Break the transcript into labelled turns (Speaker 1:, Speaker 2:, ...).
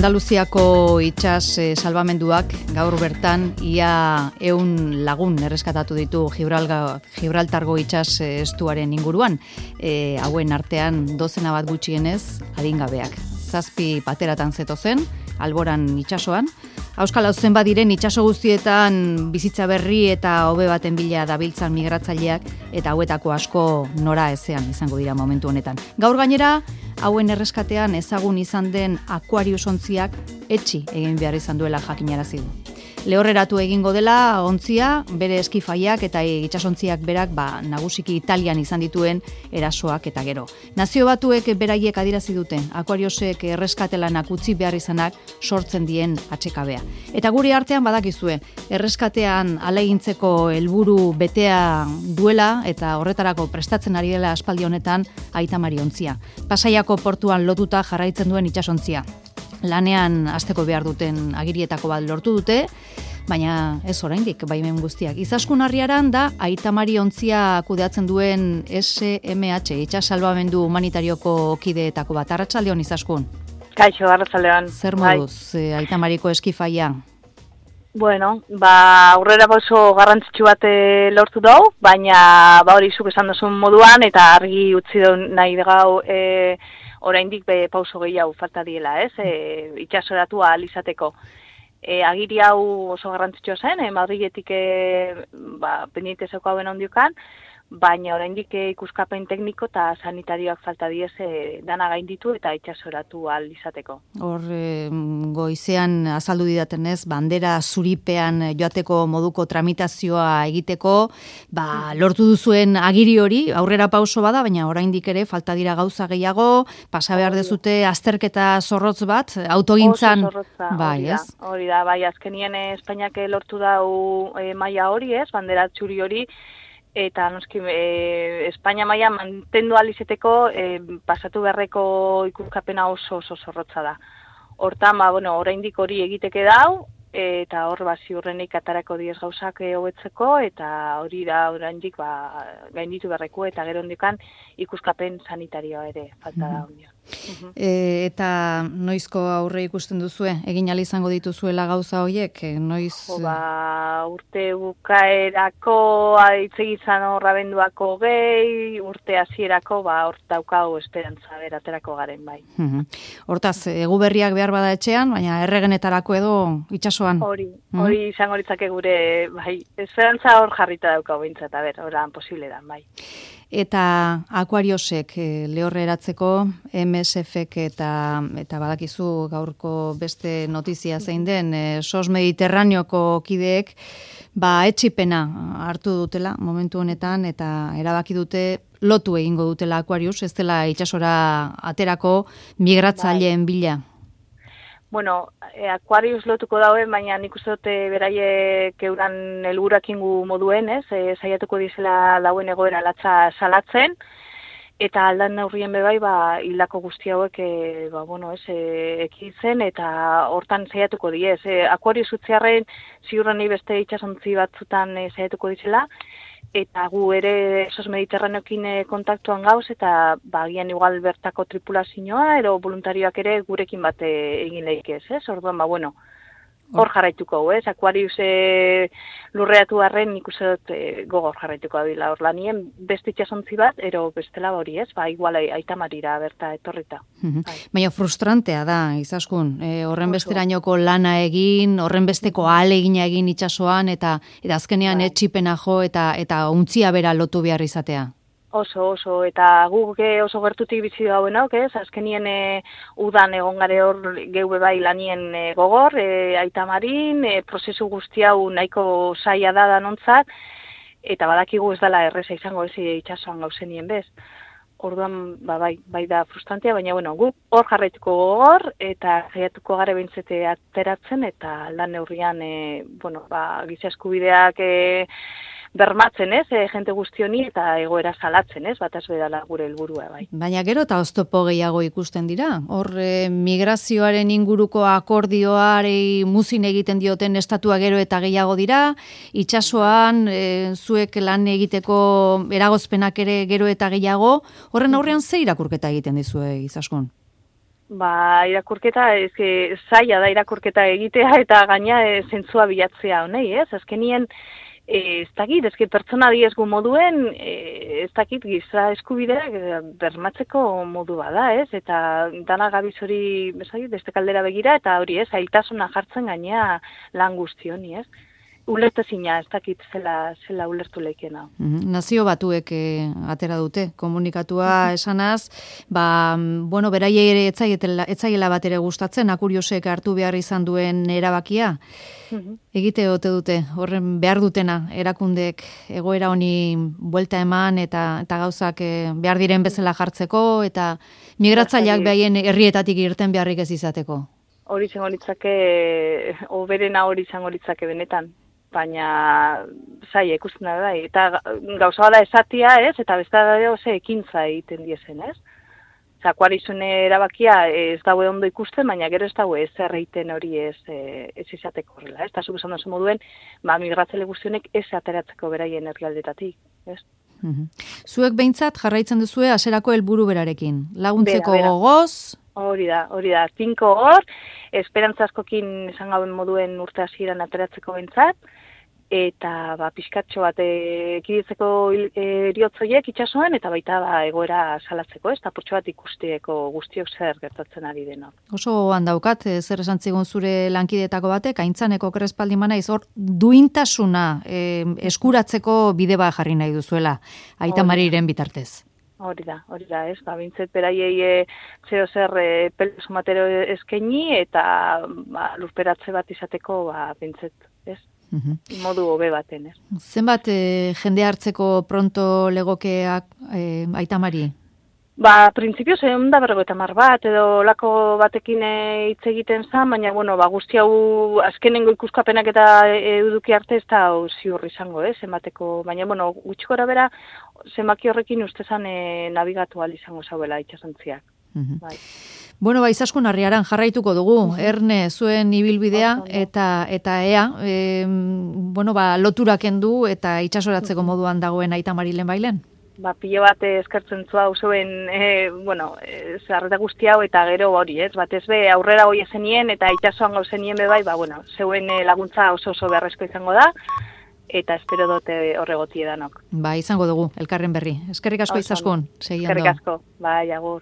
Speaker 1: Andaluziako itsas salbamenduak gaur bertan ia 100 lagun erreskatatu ditu Gibraltargo itsas estuaren inguruan. Hauen artean dozena bat gutxienez adingabeak. 7 pateratan zetozen, alboran itsasoan. Auskal hauzen badiren itsaso guztietan bizitza berri eta hobe baten bila dabiltzan migratzaileak eta hauetako asko nora ezean izango dira momentu honetan. Gaur gainera, hauen erreskatean ezagun izan den Aquarius ontziak etxi egin behar izan duela jakinarazi du. Lehorreratu egingo dela ontzia, bere eskifaiak eta itsasontziak berak nagusiki Italian izan dituen erasoak eta gero. Nazio Batuek beraiek adierazi duten Aquariusek erreskatelanak utzi behar izanak sortzen dien atxekabea. Eta gure artean badakizue, erreskatean alegintzeko helburu betea duela eta horretarako prestatzen ari dela aspaldi honetan Aita Mari ontzia. Pasaiako portuan lotuta jarraitzen duen itsasontzia. Lanean hasteko behar duten agirietako bat lortu dute, baina ez oraindik baimen guztiak. Izaskun Harriaran da Aita Mari ontzia kudeatzen duen SMH, itsas salbamendu humanitarioko kideetako bat. Arratsaldeon Izaskun.
Speaker 2: Kaixo, arratsaldeon.
Speaker 1: Zer moduz Aita Mariko eskifaia?
Speaker 2: Bueno, aurrera pauso garrantzitsu bat lortu dugu, baina hori zuk esan duzun moduan eta argi utzi du nahi gau oraindik pauso gehiago falta diela, ez? Itsasoratu ahal izateko. Agiri hau oso garrantzitsua zen, Madriletik pendiente zeuko hauen ondiokan, baina oraindik ikuskapen tekniko eta sanitarioak falta diez dana gainditu eta itsasoratu ahal izateko.
Speaker 1: Hor goizean azaldu didatenez, bandera zuripean joateko moduko tramitazioa egiteko, lortu duzuen agiri hori, aurrera pauso bada, baina oraindik ere falta dira gauza gehiago, pasa behar dezute azterketa zorrotz bat, autogintzan.
Speaker 2: Bai, ez? Hori da, bai, azkenien Espainiak lortu dau maila hori, ez, bandera txuri hori, eta noski Espainia maila mantendu ahal izeteko pasatu beharreko ikuskapena oso zorrotza da. Hortan, oraindik hori egiteke dau, eta hor ziurrenik atarako diez gauzak hobetzeko, eta hori da oraindik gainditu beharreko, eta gero ondikan ikuskapen sanitarioa ere falta da ondio.
Speaker 1: Eta noizko aurre ikusten duzue? Egin ahal izango dituzuela gauza horiek? Noiz...
Speaker 2: urte bukaerako hitz egizan abenduako gehi, urte hasierako hor daukagu esperantza beraterako garen bai.
Speaker 1: Hortaz, egu berriak behar bada etxean, baina erregenetarako edo itsasoan?
Speaker 2: Hori izango litzake gure, bai, esperantza hor jarrita daukagu bintzat, horan posible da, bai.
Speaker 1: Eta Aquariusek lehorre eratzeko, MSFek eta badakizu gaurko beste notizia zein den, SOS Mediterraneoko kideek, etxipena hartu dutela momentu honetan, eta erabaki dute lotu egingo dutela Aquarius, ez dela itsasora aterako migratzaileen bila.
Speaker 2: Bueno, Aquarius lotuko dauen, baina nik uste dute beraiek euran helburuak ingu moduen, ez? Saiatuko dizela dauen egoera latza salatzen, eta aldan neurrien bebai, hildako guzti hauek, ekitzen, eta hortan saiatuko diez. Aquarius utziarren ziurreni beste itsasontzi batzutan saiatuko dizela, eta gu ere SOS Mediterraneokin kontaktuan gauz, eta agian igual bertako tripulazioa, ero voluntarioak ere gurekin bat egin lehik ez? Orduan, hor jarraituko, ez? Aquarius lurreatu harren nik uste dut gogor jarraituko dira hor lanien, beste itsasontzi bat, ero bestela hori, ez? Igual Aita Marira berta etorrita.
Speaker 1: Baina frustrantea da, Izaskun, horren besterainoko lana egin, horren besteko ahalegina egin itsasoan, eta azkenean etxipena jo, eta untzia bera lotu behar izatea.
Speaker 2: Oso, eta guk oso gertutik bizi dauen hauk, ez? Azkenien udan egon gare hor geube bai lanien gogor, Aita Marin, prozesu guzti hau nahiko zaila da danontzat, eta badakigu ez dela erreza izango ez itsasoan gauzenien bez. Orduan, bai da frustrantea, baina guk hor jarraituko gogor, eta jaiatuko gare behintzete ateratzen, eta lan neurrian, giza eskubideak bermatzen, ez, jente guztioni eta egoera salatzen, ez, bataz bedala gure helburua bai.
Speaker 1: Baina gero eta oztopo gehiago ikusten dira. Hor migrazioaren inguruko akordioari muzin egiten dioten estatua gero eta gehiago dira, itsasoan zuek lan egiteko eragozpenak ere gero eta gehiago, horren aurrean ze irakurketa egiten dizue Izaskun?
Speaker 2: Irakurketa, zaila da irakurketa egitea eta gaina zentzua bilatzea honei, ez? Azkenien, ez dakit, pertsona diezgu moduen, ez dakit giza eskubideak bermatzeko modu bada, ez? Eta dana gabiz hori, beste kaldera begira, eta hori, ez? Zailtasuna jartzen gainea lan guztioni, ez? Ulertezina, ez dakit zela ulertu leikena.
Speaker 1: Nazio Batuek atera dute, komunikatua esanaz, beraiei ere etzaiela bat ere gustatzen, Akuriosek hartu behar izan duen erabakia. Egite ote dute, horren behar dutena, erakundeek egoera honi buelta eman eta gauzak behar diren bezala jartzeko, eta migratzaileak behaien herrietatik irten beharrik ez izateko.
Speaker 2: Hori izango litzake, oberena hori izango litzake benetan. Baina zaila ikusten da, eta gauza bada esatia, ez, eta beste da ekintza egiten diezen, ez? Akuarizune erabakia ez daue ondo ikusten, baina gero ez daue ez erreiten hori ez izateko horrela, ez? Eta zuk esan dozu moduen, migratzele guztionek ez ateratzeko beraien herrialdetatik, ez?
Speaker 1: Zuek behintzat jarraitzen duzue hasierako helburu berarekin, laguntzeko gogoz?
Speaker 2: Hori da, tinko hor, esperantza askokin esan gauen moduen urte hasieran ateratzeko behintzat, eta pixkatxo bat ekiditzeko eriotzoiek itxasoan, eta baita egoera salatzeko, ez? Eta purtsu bat ikusteko guztiok zer gertatzen ari denok.
Speaker 1: Oso handaukat, zer esan zigun zure lankidetako batek, Aintzaneko Krespaldi manaiz, hor duintasuna eskuratzeko bide bat jarri nahi duzuela, Aita Mariren bitartez.
Speaker 2: Hori da, ez, bintzet beraiei zeo zer pelo sumatero eskaini eta lurperatze bat izateko bintzet, ez? Modu hobe baten, ez?
Speaker 1: Zenbat jende hartzeko pronto legokeak Aita Mari?
Speaker 2: Printzipioz, 150 bat, edo lako batekin hitz egiten zen, baina, guzti hau azkenengo ikuskapenak eta eduki arte ez da ziur izango, zenbateko, baina, gutxi gora bera, zenbaki horrekin ustezan nabigatu ahal izango zauela itxasontziak. Bai.
Speaker 1: Izaskun Arriaran jarraituko dugu, Erne zuen ibilbidea eta ea, loturak kendu eta itxasoratzeko moduan dagoen Aita Mari lehenbailen?
Speaker 2: Pilo bat eskertzen zua zuen, zarreta guzti hau eta gero hori, ez? Batez be aurrera hoi ezenien eta itxasoan gauzenien bebai, zeuen laguntza oso beharrezko izango da, eta espero dute horregoti edanok.
Speaker 1: Izango dugu, elkarren berri. Eskerrik asko Izaskun, segiando.
Speaker 2: Eskerrik asko, agur.